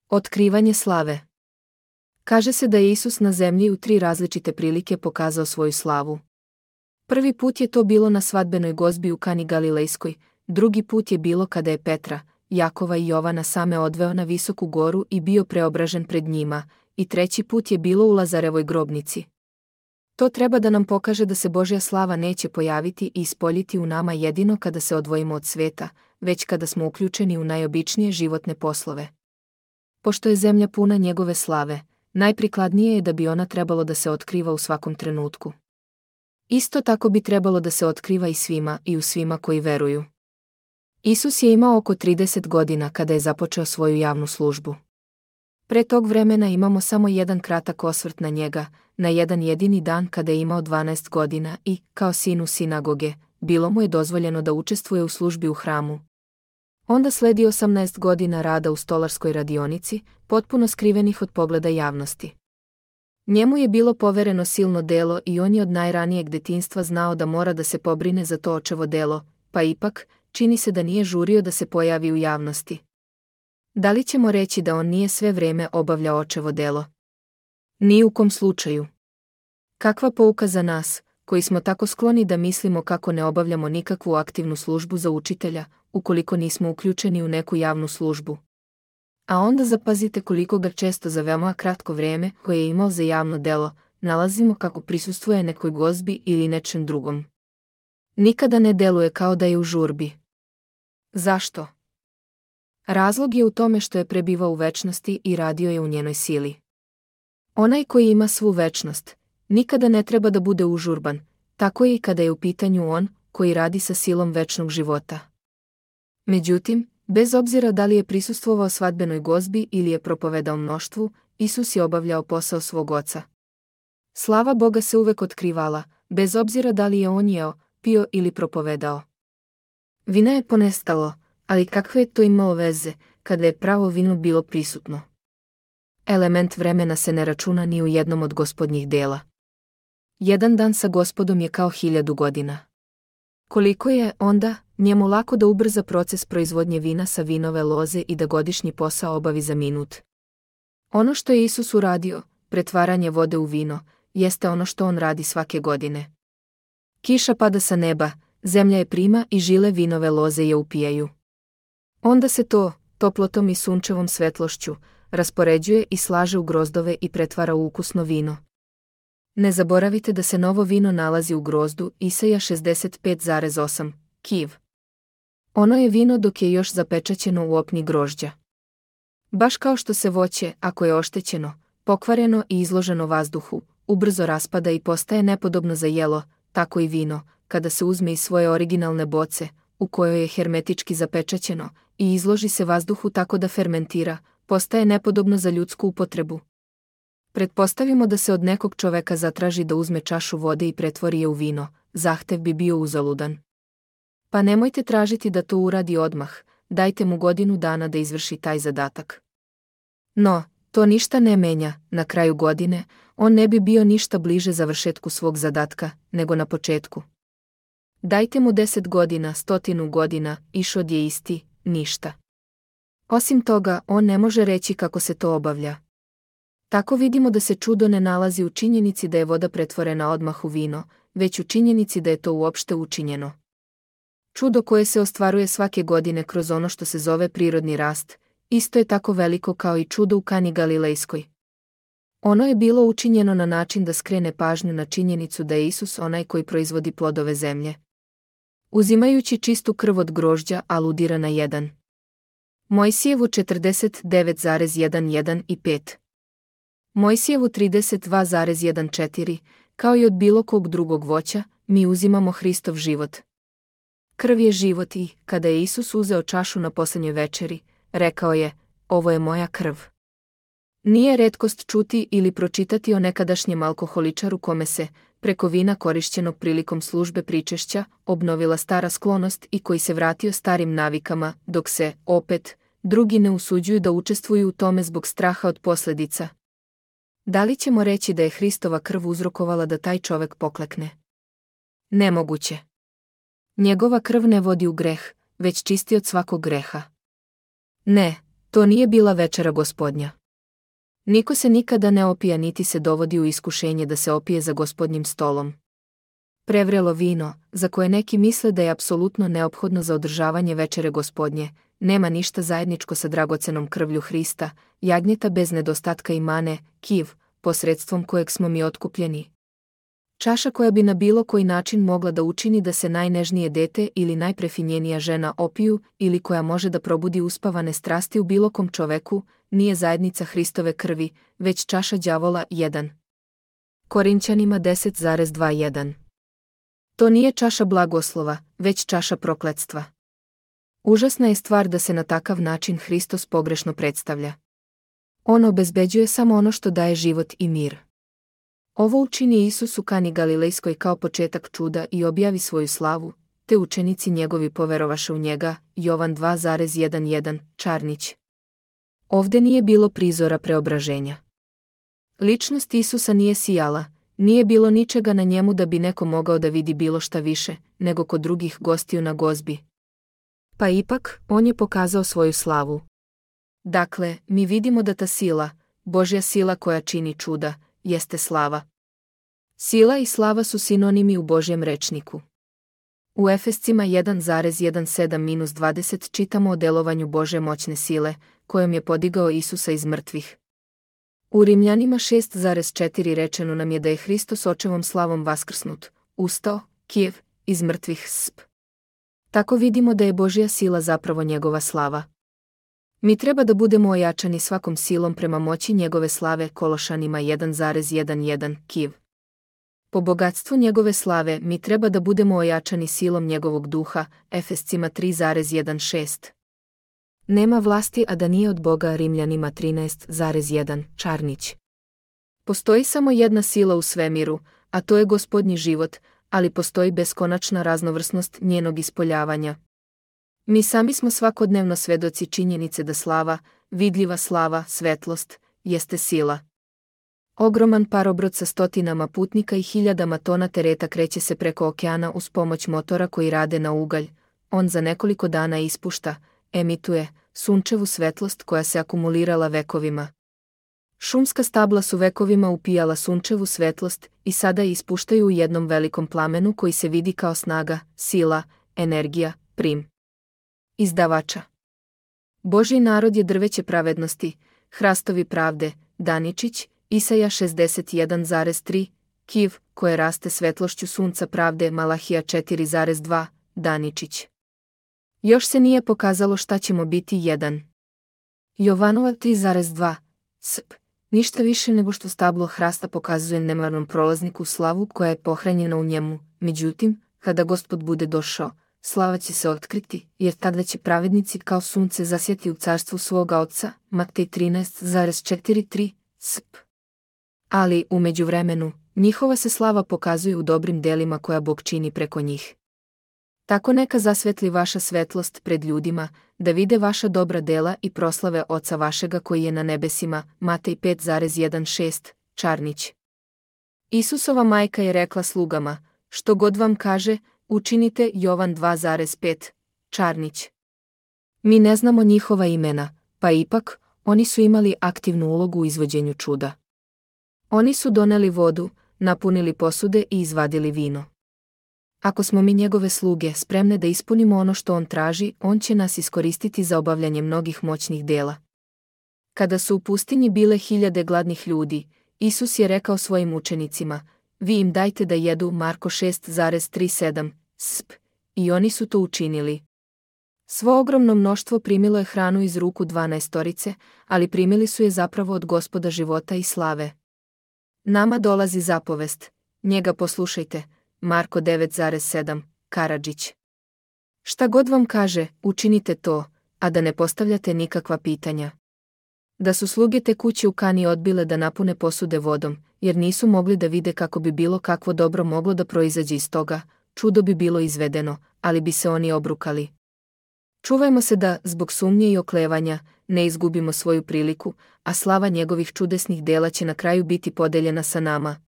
Otkrivanje slave. Kaže se da je Isus na zemlji u 3 različite prilike pokazao svoju slavu. Prvi put je to bilo na svadbenoj gozbi u Kani Galilejskoj, drugi put je bilo kada je Petra, Jakova i Jovana same odveo na visoku goru i bio preobražen pred njima, i treći put je bilo u Lazarevoj grobnici. To treba da nam pokaže da se Božja slava neće pojaviti i ispoljiti u nama jedino kada se odvojimo od sveta, već kada smo uključeni u najobičnije životne poslove. Pošto je zemlja puna njegove slave, najprikladnije je da bi ona trebalo da se otkriva u svakom trenutku. Isto tako bi trebalo da se otkriva i svima i u svima koji veruju. Isus je imao oko 30 godina kada je započeo svoju javnu službu. Pre tog vremena imamo samo jedan kratak osvrt na njega, na jedan jedini dan kada je imao 12 godina i, kao sin u sinagoge, bilo mu je dozvoljeno da učestvuje u službi u hramu. Onda sledi 18 godina rada u stolarskoj radionici, potpuno skrivenih od pogleda javnosti. Njemu je bilo povereno silno delo i on je od najranijeg detinjstva znao da mora da se pobrine za to očevo delo, pa ipak, čini se da nije žurio da se pojavi u javnosti. Da li ćemo reći da on nije sve vreme obavljao očevo delo? Ni u kom slučaju. Kakva pouka za nas, koji smo tako skloni da mislimo kako ne obavljamo nikakvu aktivnu službu za učitelja, ukoliko nismo uključeni u neku javnu službu. A onda zapazite koliko ga često za veoma kratko vreme koje je imao za javno delo, nalazimo kako prisustvuje nekoj gozbi ili nečem drugom. Nikada ne deluje kao da je u žurbi. Zašto? Razlog je u tome što je prebivao u večnosti i radio je u njenoj sili. Onaj koji ima svu večnost, nikada ne treba da bude užurban, tako je i kada je u pitanju on, koji radi sa silom večnog života. Međutim, bez obzira da li je prisustvovao svadbenoj gozbi ili je propovedao mnoštvu, Isus je obavljao posao svog oca. Slava Boga se uvek otkrivala, bez obzira da li je on jeo, pio ili propovedao. Vina je ponestalo, ali kakve je to imalo veze, kada je pravo vino bilo prisutno? Element vremena se ne računa ni u jednom od gospodnjih dela. Jedan dan sa Gospodom je kao 1000 godina. Koliko je, onda, njemu lako da ubrza proces proizvodnje vina sa vinove loze i da godišnji posao obavi za minut. Ono što je Isus uradio, pretvaranje vode u vino, jeste ono što on radi svake godine. Kiša pada sa neba, zemlja je prima i žile vinove loze je upijaju. Onda se to, toplotom i sunčevom svetlošću, raspoređuje i slaže u grozdove i pretvara u ukusno vino. Ne zaboravite da se novo vino nalazi u grozdu, Isaija 65,8, kiv. Ono je vino dok je još zapečaćeno u opni grožđa. Baš kao što se voće, ako je oštećeno, pokvareno i izloženo vazduhu, ubrzo raspada i postaje nepodobno za jelo, tako i vino, kada se uzme iz svoje originalne boce, u kojoj je hermetički zapečaćeno, i izloži se vazduhu tako da fermentira, postaje nepodobno za ljudsku upotrebu. Pretpostavimo da se od nekog čoveka zatraži da uzme čašu vode i pretvori je u vino, zahtev bi bio uzaludan. Pa nemojte tražiti da to uradi odmah, dajte mu 1 godinu dana da izvrši taj zadatak. No, to ništa ne menja, na kraju godine, on ne bi bio ništa bliže završetku svog zadatka, nego na početku. Dajte mu 10 godina, 100 godina, ishod je isti, ništa. Osim toga, on ne može reći kako se to obavlja. Tako vidimo da se čudo ne nalazi u činjenici da je voda pretvorena odmah u vino, već u činjenici da je to uopšte učinjeno. Čudo koje se ostvaruje svake godine kroz ono što se zove prirodni rast, isto je tako veliko kao i čudo u Kani Galilejskoj. Ono je bilo učinjeno na način da skrene pažnju na činjenicu da je Isus onaj koji proizvodi plodove zemlje. Uzimajući čistu krv od grožđa, aludira na 1. Mojsijevu 49,11 i 5. Mojsijevu 32,14, kao i od bilo kog drugog voća, mi uzimamo Hristov život. Krv je život i, kada je Isus uzeo čašu na posljednjoj večeri, rekao je, ovo je moja krv. Nije retkost čuti ili pročitati o nekadašnjem alkoholičaru kome se, preko vina korišćenog prilikom službe pričešća, obnovila stara sklonost i koji se vratio starim navikama, dok se, opet, drugi ne usuđuju da učestvuju u tome zbog straha od posljedica. Da li ćemo reći da je Hristova krv uzrokovala da taj čovek poklekne? Nemoguće. Njegova krv ne vodi u greh, već čisti od svakog greha. Ne, To nije bila večera Gospodnja. Niko se nikada ne opija niti se dovodi u iskušenje da se opije za Gospodnjim stolom. Prevrelo vino, za koje neki misle da je apsolutno neophodno za održavanje večere Gospodnje, nema ništa zajedničko sa dragocenom krvlju Hrista, jagnjeta bez nedostatka i mane, kiv, posredstvom kojeg smo mi otkupljeni. Čaša koja bi na bilo koji način mogla da učini da se najnežnije dete ili najprefinjenija žena opiju ili koja može da probudi uspavane strasti u bilo kom čoveku, nije zajednica Hristove krvi, već čaša đavola 1. Korinćanima 10,21. To nije čaša blagoslova, već čaša prokletstva. Užasna je stvar da se na takav način Hristos pogrešno predstavlja. On obezbeđuje samo ono što daje život i mir. Ovo učini Isus u Kani Galilejskoj kao početak čuda i objavi svoju slavu, te učenici njegovi poverovaše u njega, Jovan 2,11, Čarnić. Ovde nije bilo prizora preobraženja. Ličnost Isusa nije sijala, nije bilo ničega na njemu da bi neko mogao da vidi bilo šta više, nego kod drugih gostiju na gozbi. Pa ipak, on je pokazao svoju slavu. Dakle, mi vidimo da ta sila, Božja sila koja čini čuda, jeste slava. Sila i slava su sinonimi u Božjem rečniku. U Efescima 1,17-20 čitamo o delovanju Božje moćne sile, kojom je podigao Isusa iz mrtvih. U Rimljanima 6,4 rečeno nam je da je Hristos očevom slavom vaskrsnut, ustao, kijev, iz mrtvih sp. Tako vidimo da je Božja sila zapravo njegova slava. Mi treba da budemo ojačani svakom silom prema moći njegove slave, Kološanima 1,11 kiv. Po bogatstvu njegove slave mi treba da budemo ojačani silom njegovog duha, Efescima 3,16. Nema vlasti a da nije od Boga, Rimljanima 13,1, Čarnić. Postoji samo jedna sila u svemiru, a to je Gospodnji život, ali postoji beskonačna raznovrsnost njenog ispoljavanja. Mi sami smo svakodnevno svedoci činjenice da slava, vidljiva slava, svetlost, jeste sila. Ogroman parobrod sa stotinama putnika i hiljadama tona tereta kreće se preko okeana uz pomoć motora koji rade na ugalj. On za nekoliko dana ispušta, emituje, sunčevu svetlost koja se akumulirala vekovima. Šumska stabla su vekovima upijala sunčevu svetlost i sada je ispuštaju u jednom velikom plamenu koji se vidi kao snaga, sila, energija, prim. Izdavača. Božji narod je drveće pravednosti, hrastovi pravde, Daničić, Isaja 61,3, kiv, koje raste svetlošću sunca pravde, Malahija 4,2, Daničić. Još se nije pokazalo šta ćemo biti 1. Jovanova 3,2, sp. Ništa više nego što stablo hrasta pokazuje nemarnom prolazniku slavu koja je pohranjena u njemu, međutim, kada Gospod bude došao, slava će se otkriti, jer tada će pravednici kao sunce zasjati u carstvu svoga Oca, Matej 13,43, sp. Ali, u međuvremenu, njihova se slava pokazuje u dobrim delima koja Bog čini preko njih. Tako neka zasvetli vaša svetlost pred ljudima, da vide vaša dobra dela i proslave Oca vašega koji je na nebesima, Matej 5,16, Čarnić. Isusova majka je rekla slugama, što god vam kaže, učinite, Jovan 2,5, Čarnić. Mi ne znamo njihova imena, pa ipak, oni su imali aktivnu ulogu u izvođenju čuda. Oni su doneli vodu, napunili posude i izvadili vino. Ako smo mi njegove sluge spremne da ispunimo ono što on traži, on će nas iskoristiti za obavljanje mnogih moćnih dela. Kada su u pustinji bile hiljade gladnih ljudi, Isus je rekao svojim učenicima, vi im dajte da jedu, Marko 6,37, sp. I oni su to učinili. Svo ogromno mnoštvo primilo je hranu iz ruku 12, ali primili su je zapravo od Gospoda života i slave. Nama dolazi zapovest, njega poslušajte, Marko 9,7, Karadžić. Šta god vam kaže, učinite to, a da ne postavljate nikakva pitanja. Da su sluge te kuće u Kani odbile da napune posude vodom, jer nisu mogli da vide kako bi bilo kakvo dobro moglo da proizađe iz toga, čudo bi bilo izvedeno, ali bi se oni obrukali. Čuvajmo se da, zbog sumnje i oklevanja, ne izgubimo svoju priliku, a slava njegovih čudesnih dela će na kraju biti podeljena sa nama.